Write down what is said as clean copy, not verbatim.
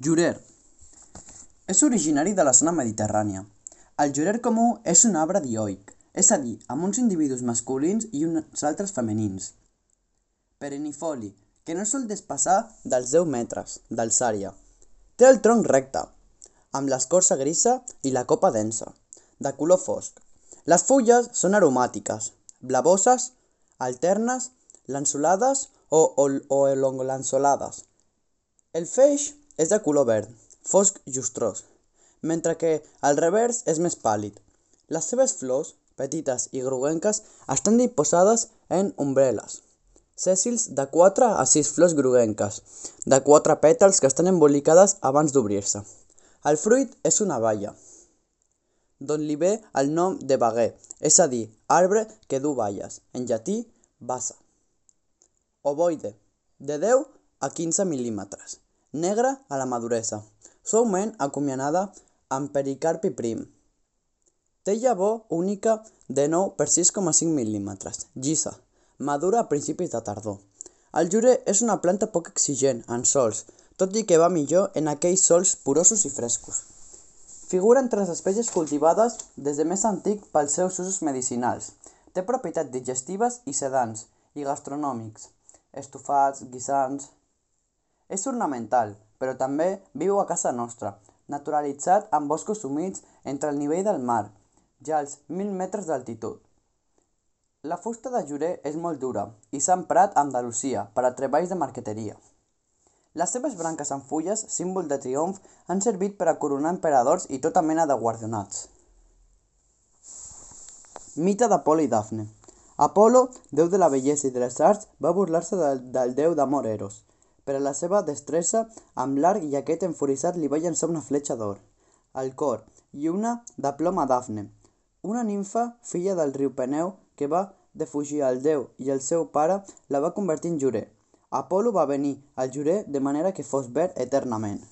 Jurer. És originari de la zona mediterrània. El jurer comú és un arbre dioic, és a dir, amb uns individus masculins i uns altres femenins. Perennifoli, que no sol despassar dels 10 metres d'alçària. Té el tronc recte, amb l'escorça grisa i la copa densa, de color fosc. Les fulles són aromàtiques, blavoses, alternes, lanceolades o elongolanceolades. El feix és de color verd, fosc llustrós, mentre que el revers és més pàl·lid. Les seves flors, petites i groguenques, estan disposades en umbel·les, sèssils de 4 a 6 flors groguenques, de 4 pètals que estan embolicades abans d'obrir-se. El fruit és una baia, d'on li ve el nom de baguer, és a dir, arbre que du baies, en llatí, bassa. Ovoide, de 10 a 15 mil·límetres, negra a la maduresa, suaument acuminada amb pericarpi prim. Té llavor única de 9 per 6,5 mil·límetres, llisa, madura a principis de tardor. El jurer és una planta poc exigent en sòls, tot i que va millor en aquells sòls porosos i frescos. Figura entre les espècies cultivades des de més antic pels seus usos medicinals. Té propietats digestives i sedants, i gastronòmics, estofats, guisants. És ornamental, però també viu a casa nostra, naturalitzat en boscos humits entre el nivell del mar, ja als 1.000 metres d'altitud. La fusta de jurer és molt dura i s'ha emprat a Andalusia per a treballs de marqueteria. Les seves branques amb fulles, símbol de triomf, han servit per a coronar emperadors i tota mena de guardonats. Mite d'Apol·lo i Dafne. Apol·lo, déu de la bellesa i de les arts, va burlar-se del déu d'amor Eros. Per a la seva destresa amb l'arc i aquest enfuriçat li va llançar una fletxa d'or al cor i una de plom a Dafne, una nimfa filla del riu Peneu que va defugir el déu i el seu pare la va convertir en jurer. Apol·lo va venir al jurer de manera que fos verd eternament.